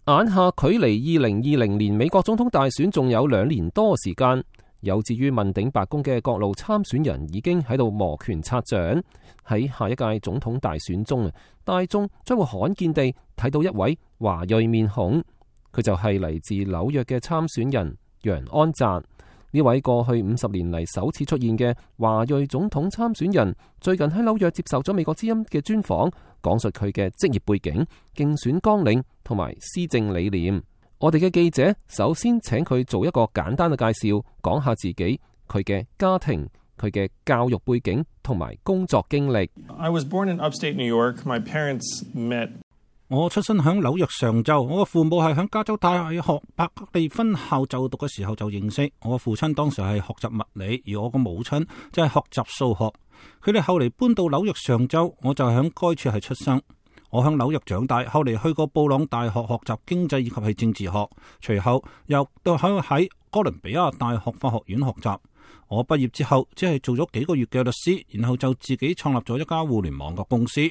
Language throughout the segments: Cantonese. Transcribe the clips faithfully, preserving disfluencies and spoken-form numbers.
眼下距離二零二零年美國總統大選仲有兩年多時間，有志於問鼎白宮嘅各路參選人已經喺度摩拳擦掌。喺下一屆總統大選中啊，大眾將會罕見地睇到一位華裔面孔，佢就係嚟自紐約嘅參選人楊安澤。呢位過去五十年嚟首次出現嘅華裔總統參選人，最近喺紐約接受咗美國之音嘅專訪，講述佢嘅職業背景、競選綱領同埋施政理念。我哋嘅記者首先請佢做一個簡單嘅介紹，講下自己、佢嘅家庭、佢嘅教育背景同埋工作經歷。I was born in upstate New York. My parents met. 我出生喺紐約上州，我嘅父母係喺加州大學伯克利分校就讀嘅時候就認識。我嘅父親當時係學習物理，而我嘅母親就係學習數學。佢哋後嚟搬到紐約上州，我就喺該處係出生。我喺紐約長大，後嚟去過布朗大學學習經濟以及係政治學，隨後又到喺喺哥倫比亞大學法學院學習。我畢業之後只係做咗幾個月嘅律師，然後就自己創立咗一家互聯網嘅公司。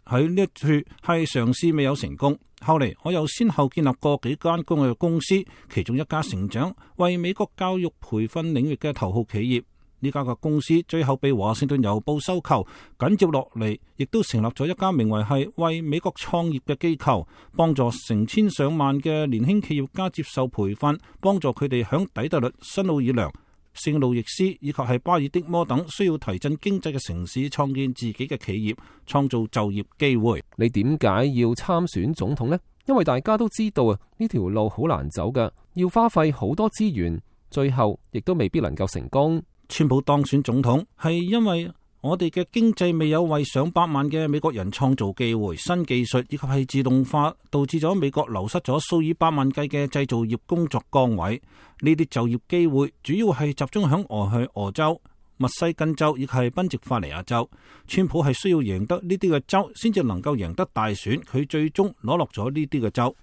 喺呢一處係嘗試未有成功，後嚟我又先後建立過幾間公嘅公司，其中一家成長為美國教育培訓領域嘅頭號企業。呢家嘅公司最後被華盛頓郵報收購，緊接落嚟亦都成立咗一家名為係為美國創業嘅機構，幫助成千上萬嘅年輕企業家接受培訓，幫助佢哋響底特律、新奧爾良、聖路易斯以及係巴爾的摩等需要提振經濟嘅城市創建自己嘅企業，創造就業機會。你點解要參選總統呢？因為大家都知道啊，呢條路好難走㗎，要花費好多資源，最後亦都未必能夠成功。川普當選總統係因為我哋嘅經濟未有為上百萬嘅美國人創造機會，新技術以及係自動化導致咗美國流失咗數以百萬計嘅製造業工作崗位。呢啲就業機會主要係集中響俄亥俄州、密西根州以及係賓夕法尼亞州。川普係需要贏得呢啲嘅州，先至能夠贏得大選。佢最終攞落咗呢啲嘅州。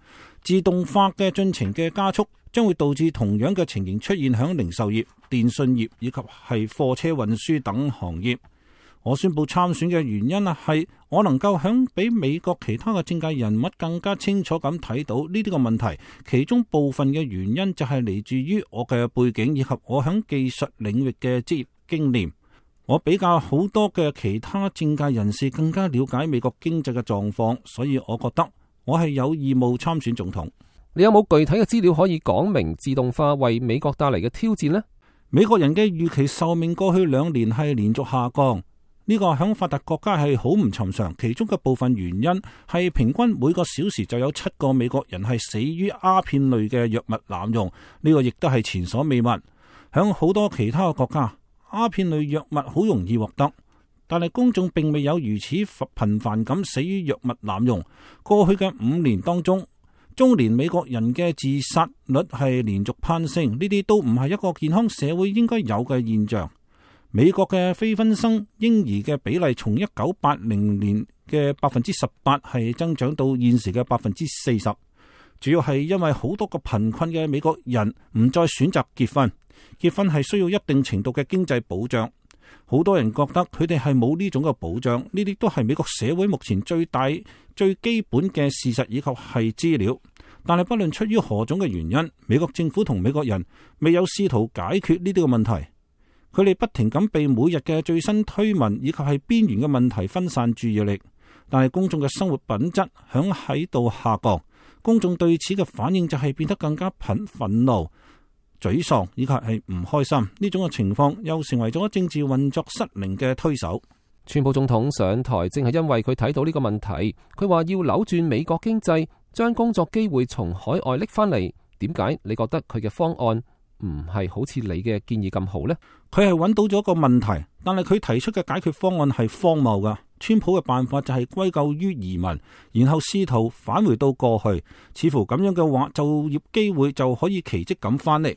自動化嘅進程嘅加速，將會導致同樣嘅情形出現響零售業、電信業以及係貨車運輸等行業。我宣布參選嘅原因啊，係我能夠響比美國其他嘅政界人物更加清楚咁睇到呢啲個問題。其中部分嘅原因就係嚟自於我嘅背景以及我響技術領域嘅職業經驗。我比較好多嘅其他政界人士更加了解美國經濟嘅狀況，所以我覺得我係有義務參選總統。你有冇具體嘅資料可以講明自動化為美國帶嚟嘅挑戰呢？美國人嘅預期壽命過去兩年係連續下降。呢個響發達國家係好唔尋常，其中嘅部分原因係平均每個小時就有七個美國人係死於鴉片類嘅藥物濫用，呢個亦都係前所未聞。響好多其他嘅國家，鴉片類藥物好容易獲得，但係公眾並未有如此頻繁咁死於藥物濫用。過去嘅五年當中，中年美國人嘅自殺率係連續攀升，呢啲都唔係一個健康社會應該有嘅現象。美國嘅非婚生嬰兒嘅比例從一九八零年嘅百分之十八係增長到現時嘅百分之四十，主要係因為好多個貧困嘅美國人唔再選擇結婚，結婚係需要一定程度嘅經濟保障。好多人覺得佢哋係冇呢種嘅保障，呢啲都係美國社會目前最大最基本嘅事實以及係資料。但係不論出於何種嘅原因，美國政府同美國人未有試圖解決呢啲嘅問題。佢哋不停咁被每日嘅最新推文以及係邊緣嘅問題分散注意力，但係公眾嘅生活品質響喺度下降，公眾對此嘅反應就係變得更加憤憤怒、沮喪以及係唔開心。呢種嘅情況又成為咗政治運作失靈嘅推手。川普總統上台正係因為佢睇到呢個問題，佢話要扭轉美國經濟，將工作機會從海外拎翻嚟。點解你覺得佢嘅方案唔係好似你嘅建議咁好呢？佢係揾到咗一個問題，但係佢提出嘅解決方案係荒謬噶。川普嘅辦法就係歸咎於移民，然後試圖返回到過去，似乎咁樣嘅話，就業機會就可以奇蹟咁翻嚟。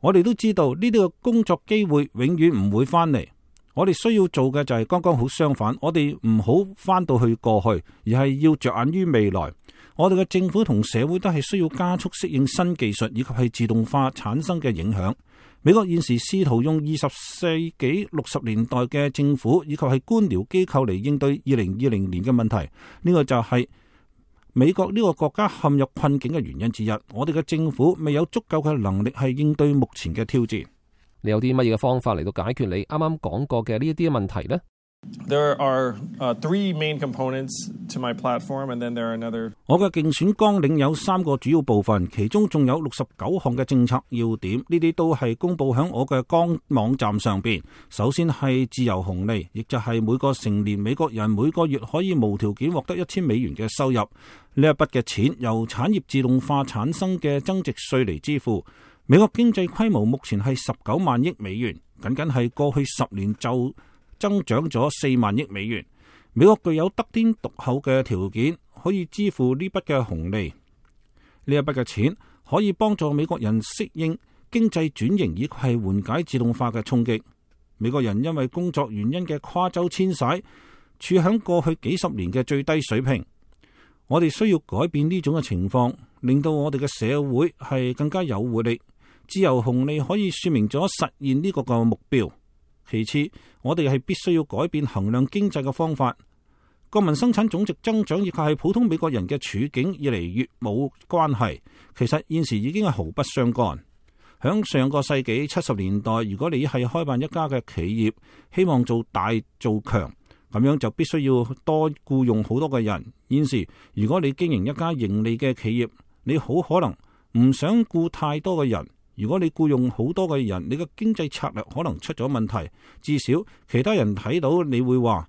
我哋都知道呢啲嘅工作機會永遠唔會翻嚟。我哋需要做嘅就係剛剛好相反，我哋唔好翻到去過去，而係要着眼於未來。我哋嘅政府同社會都係需要加速適應新技術以及係自動化產生嘅影響。美國現時試圖用二十世紀六十年代嘅政府以及係官僚機構嚟應對二零二零年嘅問題，呢個就係美國呢個國家陷入困境嘅原因之一。我哋嘅政府未有足夠嘅能力係應對目前嘅挑戰。你有啲乜嘢嘅方法嚟到解決你啱啱講過嘅呢一啲問題呢？ There are uh, three main components to my platform, and then there are another. 我嘅競選綱領有三個主要部分，其中仲有六十九項嘅政策要點，呢啲都係公佈喺我嘅官網站上邊。首先係自由紅利，亦就係每個成年美國人每個月可以無條件獲得一千美元嘅收入。呢一筆嘅錢由產業自動化產生嘅增值稅嚟支付。美國經濟規模目前係十九萬億美元，僅僅係過去十年就增長咗四萬億美元。美國具有得天獨厚嘅條件，可以支付呢筆嘅紅利。呢一筆嘅錢可以幫助美國人適應經濟轉型，以及係緩解自動化嘅衝擊。美國人因為工作原因嘅跨州遷徙，處響過去幾十年嘅最低水平。我哋需要改變呢種嘅情況，令到我哋嘅社會係更加有活力。自由紅利可以說明咗實現呢個個目標。其次，我哋係必須要改變衡量經濟嘅方法。國民生產總值增長亦係普通美國人嘅處境越嚟越冇關係，其實現時已經係毫不相干。響上個世紀七十年代，如果你係開辦一家嘅企業，希望做大做強，咁樣就必須要多僱用好多嘅人。現時如果你經營一家盈利嘅企業，你好可能唔想僱太多嘅人。如果你僱用好多嘅人，你嘅經濟策略可能出咗問題。至少其他人睇到你會話，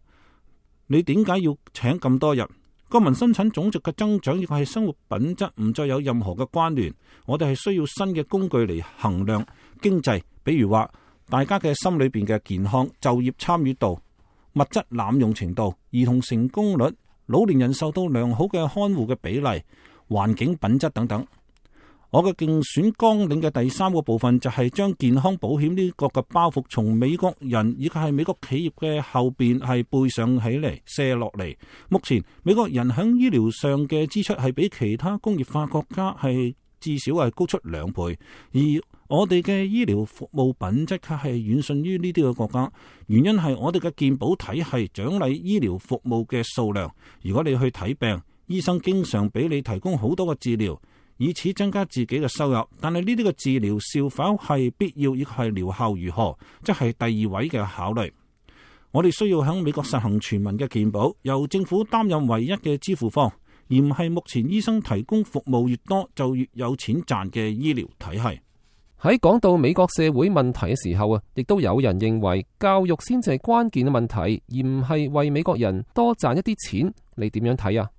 你點解要請咁多人？國民生產總值嘅增長亦係生活品質唔再有任何嘅關聯。我哋係需要新嘅工具嚟衡量經濟，比如話大家嘅心裏邊嘅健康、就業參與度、物質濫用程度、兒童成功率、老年人受到良好嘅看護嘅比例、環境品質等等。我嘅競選綱領嘅第三個部分就係將健康保險呢個嘅包袱從美國人以及係美國企業嘅後邊係背上起嚟卸落嚟。目前美國人喺醫療上嘅支出係比其他工業化國家係至少係高出兩倍，而我哋嘅醫療服務品質卻係遠遜於呢啲嘅國家。原因係我哋嘅健保體系獎勵醫療服務嘅數量。如果你去睇病，醫生經常俾你提供好多嘅治療，以此增加自己嘅收入，但係呢啲嘅治療是否係必要，亦係療效如何，即係第二位嘅考慮。我哋需要喺美國實行全民嘅健保，由政府擔任唯一嘅支付方，而唔係目前醫生提供服務越多就越有錢賺嘅醫療體系。喺講到美國社會問題嘅時候啊，亦都有人認為教育先至係關鍵嘅問題，而唔係為美國人多賺一啲錢。你點樣睇啊？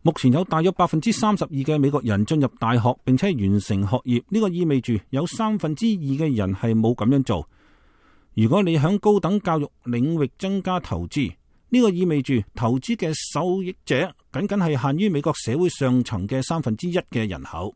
目前有大約百分之三十二嘅美國人進入大學並且完成學業，呢個意味住有三分之二嘅人係冇咁樣做。如果你響高等教育領域增加投資，呢個意味住投資嘅受益者僅僅係限於美國社會上層嘅三分之一嘅人口。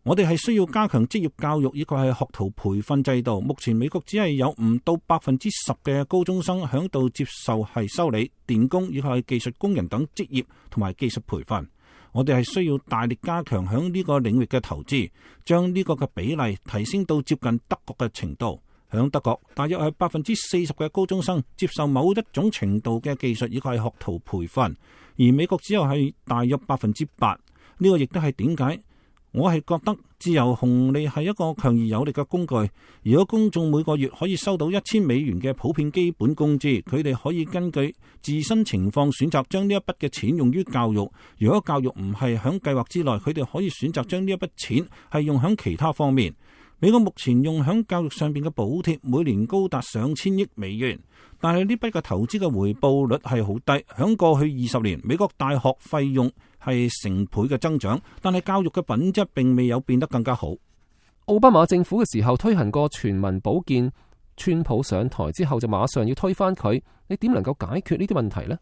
我哋係需要加強職業教育以及係學徒培訓制度。目前美國只係有唔到百分之十嘅高中生響度接受係修理、電工以及係技術工人等職業同埋技術培訓。我哋係需要大力加強響呢個領域嘅投資，將呢個嘅比例提升到接近德國嘅程度。響德國，大約係百分之四十嘅高中生接受某一種程度嘅技術以及係學徒培訓，而美國只有係大約百分之八。呢個亦都係點解我係覺得自由紅利係一個強而有力嘅工具。如果公眾每個月可以收到一千美元嘅普遍基本工資，佢哋可以根據自身情況選擇將呢一筆嘅錢用於教育。如果教育唔係響計劃之內，佢哋可以選擇將呢一筆錢係用響其他方面。美國目前用響教育上邊嘅補貼每年高達上千億美元，但係呢筆嘅投資嘅回報率係好低。響過去二十年，美國大學費用係成倍嘅增長，但係教育嘅品質並未有變得更加好。奧巴馬政府嘅時候推行過全民保健，川普上台之後就馬上要推翻佢，你點能夠解決呢啲問題呢？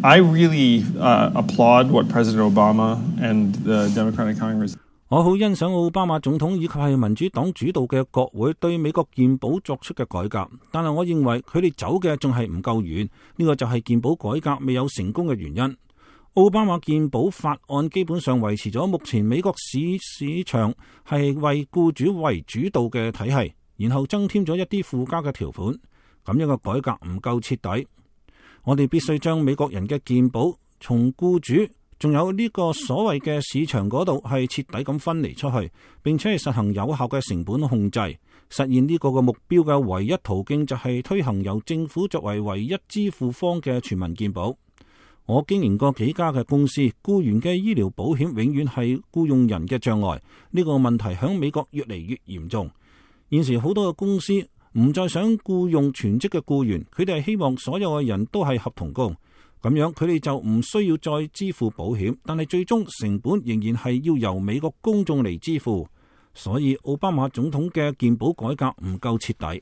I really uh, applaud what President Obama and the Democratic Congress. 我好欣賞奧巴馬總統以及係民主黨主導嘅國會對美國健保作出嘅改革，但係我認為佢哋走嘅仲係唔夠遠，呢個就係健保改革未有成功嘅原因。奧巴馬健保法案基本上維持咗目前美國市市場係為僱主為主導嘅體系，然後增添咗一啲附加嘅條款，咁樣嘅改革唔夠徹底。我哋必須將美國人嘅健保從僱主仲有呢個所謂嘅市場嗰度係徹底咁分離出去，並且係實行有效嘅成本控制。實現呢個嘅目標嘅唯一途徑就係推行由政府作為唯一支付方嘅全民健保。我經營過幾家嘅公司，僱員嘅醫療保險永遠係僱用人嘅障礙。呢個問題喺美國越嚟越嚴重。現時好多嘅公司唔再想僱用全職嘅僱員，佢哋係希望所有嘅人都係合同工。咁樣佢哋就唔需要再支付保險，但係最終成本仍然係要由美國公眾嚟支付。所以奧巴馬總統嘅健保改革唔夠徹底。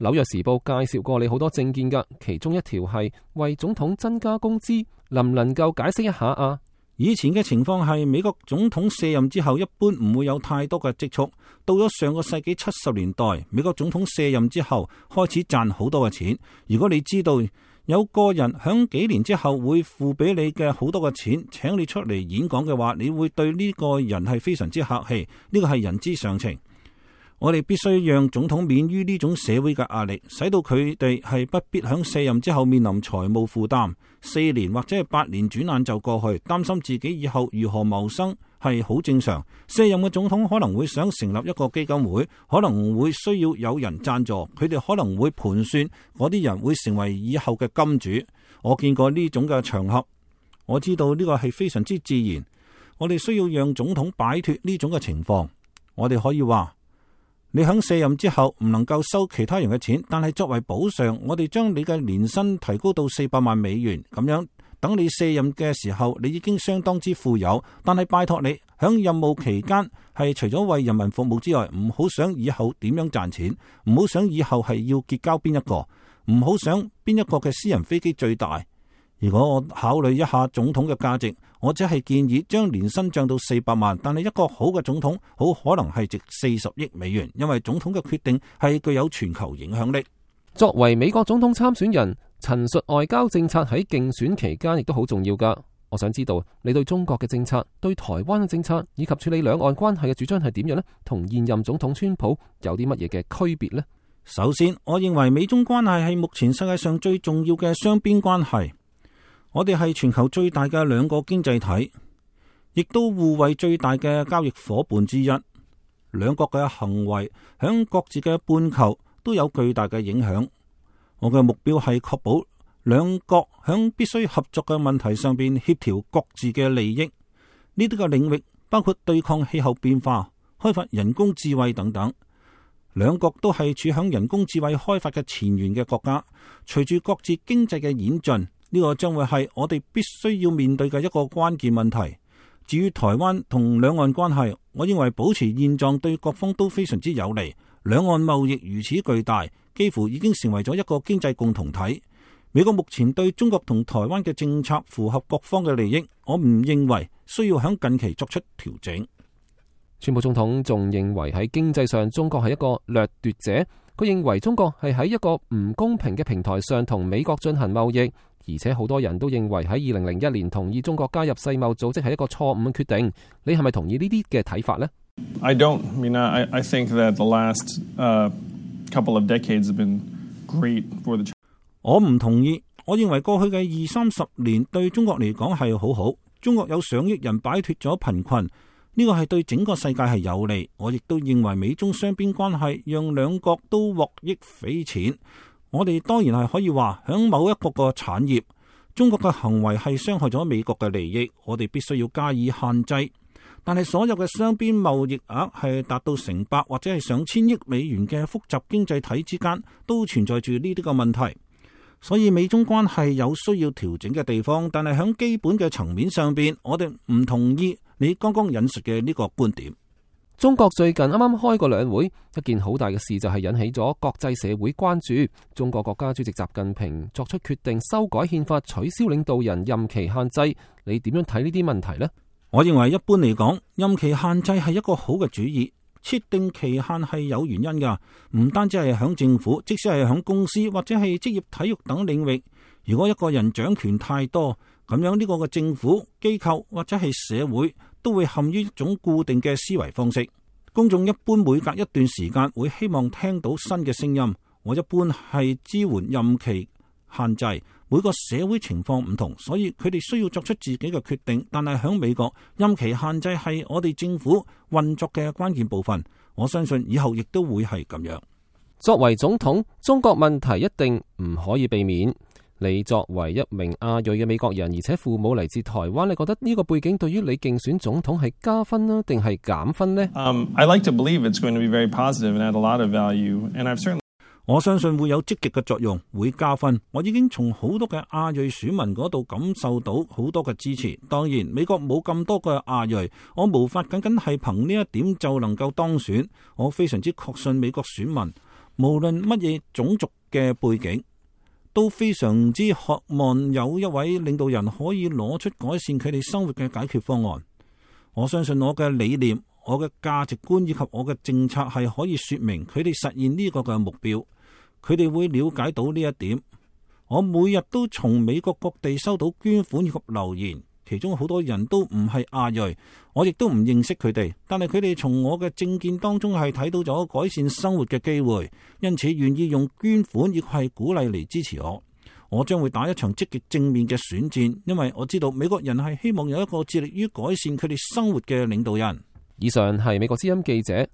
紐約時報介紹過你好多政見㗎，其中一條係為總統增加工資，能唔能夠解釋一下啊？以前嘅情況係美國總統卸任之後一般唔會有太多嘅積蓄，到咗上個世紀七十年代，美國總統卸任之後開始賺好多嘅錢。如果你知道有個人響幾年之後會付俾你嘅好多嘅錢，請你出嚟演講嘅話，你會對呢個人係非常之客氣，呢個係人之常情。我哋必須讓總統免於呢種社會嘅壓力，使到佢哋係不必響卸任之後面臨財務負擔。四年或者係八年轉眼就過去，擔心自己以後如何謀生係好正常。卸任嘅總統可能會想成立一個基金會，可能會需要有人贊助，佢哋可能會盤算嗰啲人會成為以後嘅金主。我見過呢種嘅場合，我知道呢個係非常之自然。我哋需要讓總統擺脫呢種嘅情況。我哋可以話，你響卸任之後唔能夠收其他人嘅錢，但係作為補償，我哋將你嘅年薪提高到四百萬美元，咁樣等你卸任嘅時候，你已經相當之富有。但係拜託你響任務期間係除咗為人民服務之外，唔好想以後點樣賺錢，唔好想以後係要結交邊一個，唔好想邊一個嘅私人飛機最大。如果我考慮一下總統嘅價值，我只係建議將年薪漲到四百萬，但係一個好嘅總統好可能係值四十億美元，因為總統嘅決定係具有全球影響力。作為美國總統參選人，陳述外交政策喺競選期間亦都好重要㗎。我想知道你對中國嘅政策、對台灣嘅政策以及處理兩岸關係嘅主張係點樣呢？同現任總統川普有啲乜嘢嘅區別呢？首先，我認為美中關係係目前世界上最重要嘅雙邊關係。我哋係全球最大嘅兩個經濟體，亦都互為最大嘅交易夥伴之一。兩國嘅行為響各自嘅半球都有巨大嘅影響。我嘅目標係確保兩國響必須合作嘅問題上邊協調各自嘅利益。呢啲嘅領域包括對抗氣候變化、開發人工智慧等等。兩國都係處響人工智慧開發嘅前沿嘅國家。隨住各自經濟嘅演進，呢個將會係我哋必須要面對嘅一個關鍵問題。至於台灣同兩岸關係，我認為保持現狀對各方都非常之有利。兩岸貿易如此巨大，幾乎已經成為咗一個經濟共同體。美國目前對中國同台灣嘅政策符合各方嘅利益，我唔認為需要喺近期作出調整。川普總統仲認為喺經濟上中國係一個掠奪者，佢認為中國係喺一個唔公平嘅平台上同美國進行貿易。而且好多人都認為喺二零零一年同意中國加入世貿組織係一個錯誤嘅決定。你係咪同意呢啲嘅睇法呢？ I don't. I mean, I, I think that the last uh, couple of decades have been great for the. 我唔同意。我認為過去嘅二三十年對中國嚟講係好好。中國有上億人擺脫咗貧困，呢個係對整個世界係有利。我亦都認為美中雙邊關係讓兩國都獲益匪淺。我哋當然係可以話，響某一個個產業，中國嘅行為係傷害咗美國嘅利益，我哋必須要加以限制。但係所有嘅雙邊貿易額係達到成百或者係上千億美元嘅複雜經濟體之間，都存在住呢啲個問題。所以美中關係有需要調整嘅地方，但係響基本嘅層面上邊，我哋唔同意你剛剛引述嘅呢個觀點。中國最近啱啱開過兩會，一件好大嘅事就係引起咗國際社會關注。中國國家主席習近平作出決定修改憲法，取消領導人任期限制。你點樣睇呢啲問題呢？我認為一般嚟講，任期限制係一個好嘅主意。設定期限係有原因噶，唔單止係響政府，即使係響公司或者係職業體育等領域。如果一個人掌權太多，咁樣呢個嘅政府機構或者係社會都會陷於一種固定嘅思維方式。公眾一般每隔一段時間會希望聽到新嘅聲音。我一般係支援任期限制，每個社會情況唔同，所以佢哋需要作出自己嘅決定。但係喺美國，任期限制係我哋政府運作嘅關鍵部分。我相信以後亦都會係咁樣。作為總統，中國問題一定唔可以避免。你作為一名亞裔嘅美國人，而且父母嚟自台灣，你覺得呢個背景對於你競選總統係加分啦，定係減分呢？ Um, I like to believe it's going to be very positive and add a lot of value, and I've certainly 我相信會有積極嘅作用，會加分。我已經從好多嘅亞裔選民嗰度感受到好多嘅支持。當然，美國冇咁多嘅亞裔，我無法僅僅係憑呢一點就能夠當選。我非常之確信美國選民，無論乜嘢種族嘅背景，都非常之渴望有一位領導人可以攞出改善佢哋生活嘅解決方案。我相信我嘅理念、我嘅價值觀以及我嘅政策係可以說明佢哋實現呢個嘅目標。佢哋會了解到呢一點。我每日都從美國各地收到捐款以及留言，其中好多人都唔係亞裔，我亦都唔認識佢哋，但係佢哋從我嘅政見當中係睇到咗改善生活嘅機會，因此願意用捐款亦係鼓勵嚟支持我。我將會打一場積極正面嘅選戰，因為我知道美國人係希望有一個致力於改善佢哋生活嘅領導人。以上係美國之音記者